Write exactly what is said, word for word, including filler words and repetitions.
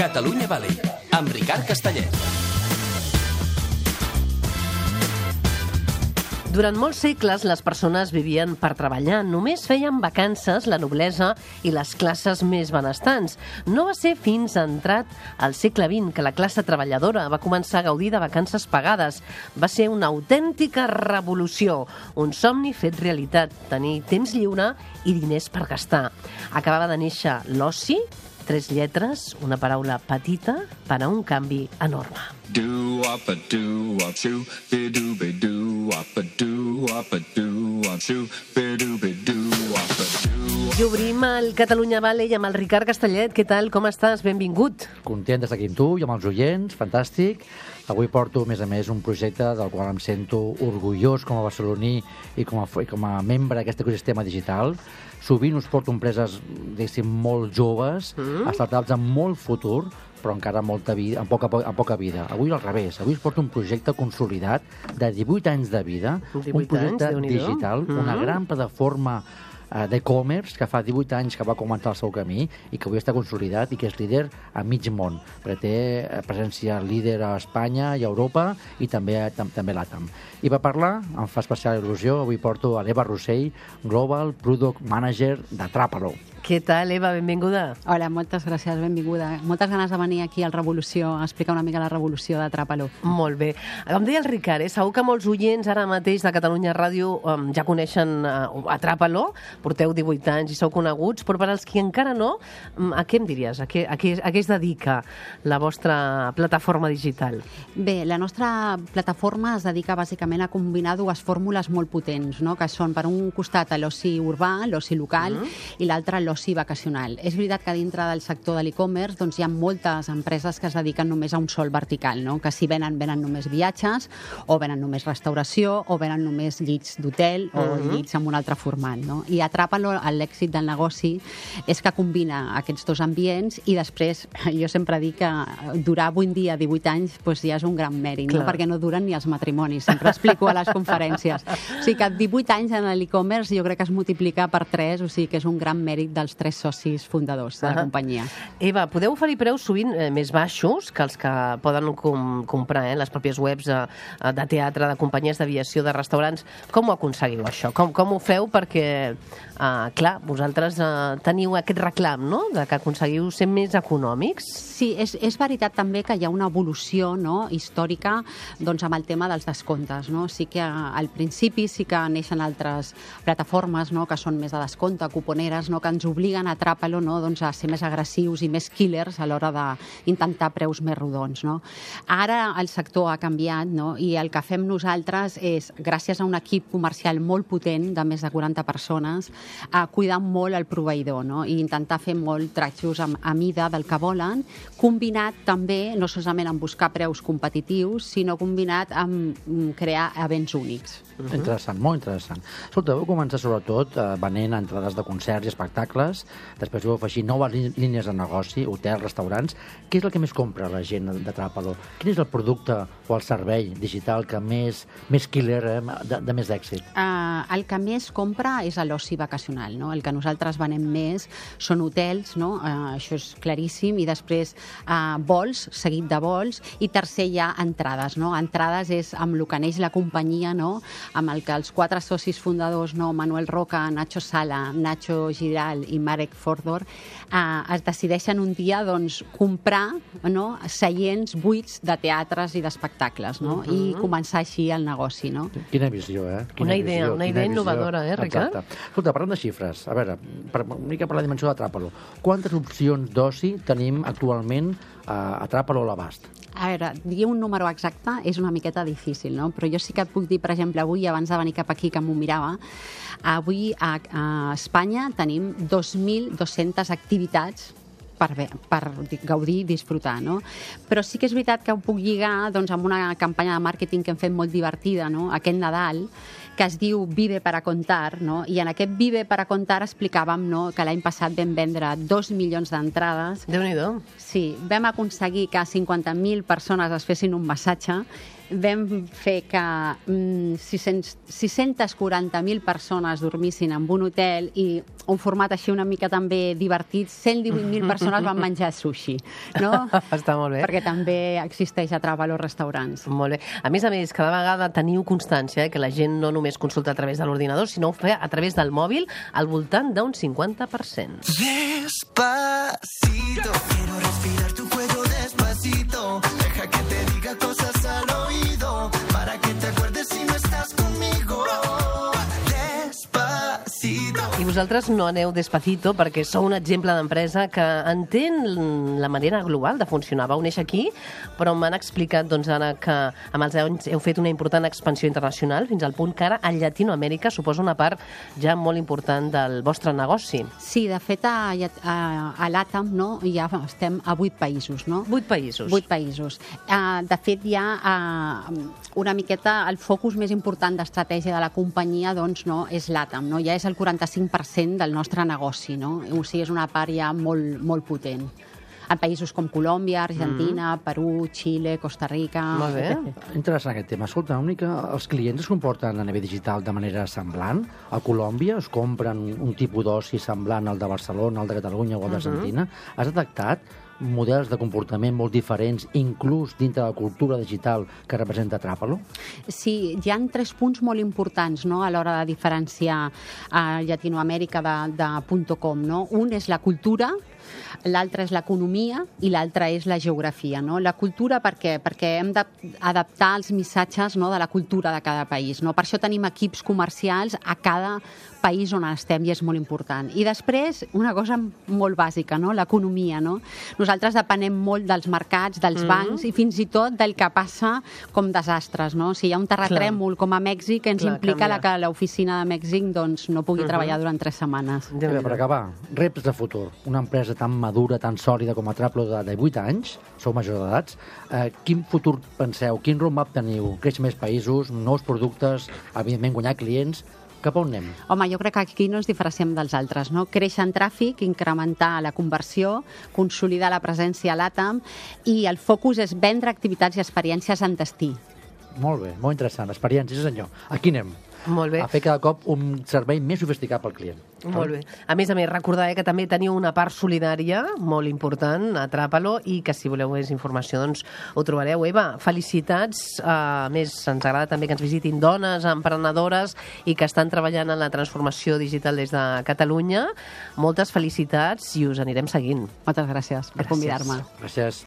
Catalunya Valley, amb Ricard Castellet. Durant molts segles, les persones vivien per treballar. Només feien vacances la noblesa i les classes més benestants. No va ser fins entrat al segle vint que la classe treballadora va començar a gaudir de vacances pagades. Va ser una autèntica revolució, un somni fet realitat, tenir temps lliure i diners per gastar. Acabava de néixer l'oci, tres lletres, una paraula petita per a un canvi enorme. I obrim el Catalunya Valley amb el Ricard Castellet. Què tal? Com estàs? Benvingut. Content d'estar aquí amb tu i amb els oients, fantàstic. Avui porto, a més a més, un projecte del qual em sento orgullós com a barceloní i com a, i com a membre d'aquest ecosistema digital. Sovint us porto empreses, diguéssim, molt joves, mm. startups amb molt futur, però encara molta vida, amb, poca, amb poca vida. Avui al revés. Avui us porto un projecte consolidat de divuit anys de vida, un projecte anys, digital, mm. una gran plataforma d'e-commerce que fa divuit anys que va començar el seu camí i que avui està consolidat i que és líder a mig món, perquè té presència líder a Espanya i a Europa i també, també a l'Atam. I per parlar, em fa especial il·lusió, avui porto a l'Eva Rossell, Global Product Manager de Trapalo. Què tal, Eva? Benvinguda. Hola, moltes gràcies, benvinguda. Moltes ganes de venir aquí al Revolució a explicar una mica la revolució de Trapalo. Molt bé. Com deia el Ricard, eh? Segur que molts oients ara mateix de Catalunya Ràdio um, ja coneixen uh, a Trapalo, porteu divuit anys i sou coneguts, però per als que encara no, um, a què em diries? A què, a, què, a què es dedica la vostra plataforma digital? Bé, la nostra plataforma es dedica bàsicament a combinar dues fórmules molt potents, no? Que són per un costat l'oci urbà, l'oci local, mm. i l'altre l'oci vacacional. És veritat que dintre del sector de l'e-commerce doncs, hi ha moltes empreses que es dediquen només a un sol vertical, no? Que si venen, venen només viatges, o venen només restauració, o venen només llits d'hotel, o uh-huh. llits amb un altre format, no? I a Trapalo l'èxit del negoci és que combina aquests dos ambients i després, jo sempre dic que durar vuit dies, divuit anys, doncs ja és un gran mèrit, no? Perquè no duren ni els matrimonis, sempre explico a les conferències. O sigui que divuit anys en l'e-commerce jo crec que es multiplica per tres, o sigui que és un gran mèrit dels tres socis fundadors de la uh-huh. companyia. Eva, podeu oferir preus sovint eh, més baixos que els que poden com, comprar eh, les pròpies webs eh, de teatre, de companyies d'aviació, de restaurants. Com ho aconseguiu, això? Com, com ho feu? Perquè, eh, clar, vosaltres eh, teniu aquest reclam, no?, de que aconseguiu ser més econòmics. Sí, és, és veritat també que hi ha una evolució, no?, històrica doncs, amb el tema dels descomptes, no? Sí que al principi sí que neixen altres plataformes, no?, que són més de descompte, cuponeres, no?, que ens obliguen a Trapalo, no?, doncs, a ser més agressius i més killers a l'hora d'intentar preus més rodons, no? Ara el sector ha canviat, no?, i el que fem nosaltres és, gràcies a un equip comercial molt potent, de més de quaranta persones, a cuidar molt el proveïdor, no?, i intentar fer molt trajos a, a mida del que volen, combinat també, no solament amb buscar preus competitius, sinó combinat amb crear events únics. Uh-huh. Interessant, molt interessant. Escolta, vau començar sobretot eh, venent entrades de concerts i espectacles, després vau afegir noves línies de negoci, hotels, restaurants. Què és el que més compra la gent de Trapalo? Quin és el producte o el servei digital que més, més killer, eh, de, de més èxit? Uh, el que més compra és l'oci vacacional, no? El que nosaltres venem més són hotels, no? Uh, això és claríssim, i després uh, vols, seguit de vols, i tercer hi ha entrades, no? Entrades és amb el que neix la companyia, no?, amb el que els quatre socis fundadors, no, Manuel Roca, Nacho Sala, Nacho Giral i Marek Fordor, eh, es decideixen un dia doncs, comprar, no, seients buits de teatres i d'espectacles, no? Uh-huh. I començar així el negoci, no? Quina visió, eh? Quina una idea, visió, una idea innovadora, eh, Ricard? Exacte. Escolta, parlant de xifres, a veure, per, una mica per la dimensió de Trapalo, quantes opcions d'oci tenim actualment a, a Trapalo a l'abast? A veure, dir un número exacte és una miqueta difícil, no? Però jo sí que et puc dir, per exemple, avui, abans de venir cap aquí, que m'ho mirava, avui a, a Espanya tenim dos mil dues-centes activitats per, bé, per gaudir i disfrutar, no? Però sí que és veritat que ho puc lligar doncs, amb una campanya de màrqueting que hem fet molt divertida, no?, aquest Nadal, que es diu Vive para contar, no? I en aquest Vive para contar explicàvem, no?, que l'any passat vam vendre dos milions d'entrades. Déu-n'hi-do. Sí, vam aconseguir que cinquanta mil persones es fessin un massatge vam fer que mm, sis-centes quaranta mil persones dormissin en un hotel i un format així una mica també divertit, cent divuit mil persones van menjar sushi, no? Està molt bé. Perquè també existeix a Travalo restaurants. Molt bé. A més a més, cada vegada teniu constància eh, que la gent no només consulta a través de l'ordinador, sinó ho fa a través del mòbil al voltant d'un cinquanta per cent. Despacito, quiero respirar tu cuello despacito, deja que te diga cosas al oído, para que te acuerdes si no estás conmigo. Despacito. I vosaltres no aneu despacito perquè sou un exemple d'empresa que entén la manera global de funcionar. Vau néixer aquí, però m'han explicat doncs, ara que amb els anys heu fet una important expansió internacional fins al punt que ara a Llatinoamèrica suposa una part ja molt important del vostre negoci. Sí, de fet, a, a, a l'Àtam no, ja estem a vuit països. No? Vuit països. Vuit països. Uh, de fet, hi ha uh, una miqueta el focus més important d'estratègia de la companyia doncs, no, és l'Àtam. No? Ja és el quaranta-cinc per cent del nostre negoci. No? O sigui, és una part ja molt, molt potent. En països com Colòmbia, Argentina, mm. Perú, Xile, Costa Rica... Molt bé. Interessant aquest tema. Escolta, una mica, els clients es comporten a nivell digital de manera semblant? A Colòmbia es compren un tipus d'oci semblant al de Barcelona, al de Catalunya o al d'Argentina? Mm-hmm. Has detectat models de comportament molt diferents, inclús dintre de la cultura digital que representa Travalo? Sí, hi ha tres punts molt importants no, a l'hora de diferenciar a Llatinoamèrica de, de .com. No? Un és la cultura, l'altre és l'economia i l'altre és la geografia. No? La cultura per què? Perquè hem d'adaptar els missatges no, de la cultura de cada país. No? Per això tenim equips comercials a cada país on estem i és molt important. I després, una cosa molt bàsica, no? L'economia. No? Nosaltres depenem molt dels mercats, dels mm. bancs i fins i tot del que passa com desastres. No? Si hi ha un terratrèmol Clar. com a Mèxic, ens Clar, implica la, que l'oficina de Mèxic doncs, no pugui uh -huh. treballar durant tres setmanes. Bé, per acabar, reptes de futur. Una empresa tan madura, tan sòlida com a Travalo de divuit anys, sou majors d'edats, eh, quin futur penseu? Quin roadmap teniu? Créixer més països, nous productes, evidentment guanyar clients? Cap on anem? Home, jo crec que aquí no ens diferenciem dels altres, no? Créixer en tràfic, incrementar la conversió, consolidar la presència a l'Àtam i el focus és vendre activitats i experiències en destí. Molt bé, molt interessant. Experiències, senyor. Aquí anem. Molt bé. A fer cada cop un servei més sofisticat pel client. Molt bé. A més a més, recordar eh, que també teniu una part solidària molt important a Travalo i que si voleu més informació doncs ho trobareu. Eva, felicitats. A més, ens agrada també que ens visitin dones emprenedores i que estan treballant en la transformació digital des de Catalunya. Moltes felicitats i us anirem seguint. Moltes gràcies per convidar-me. Gràcies.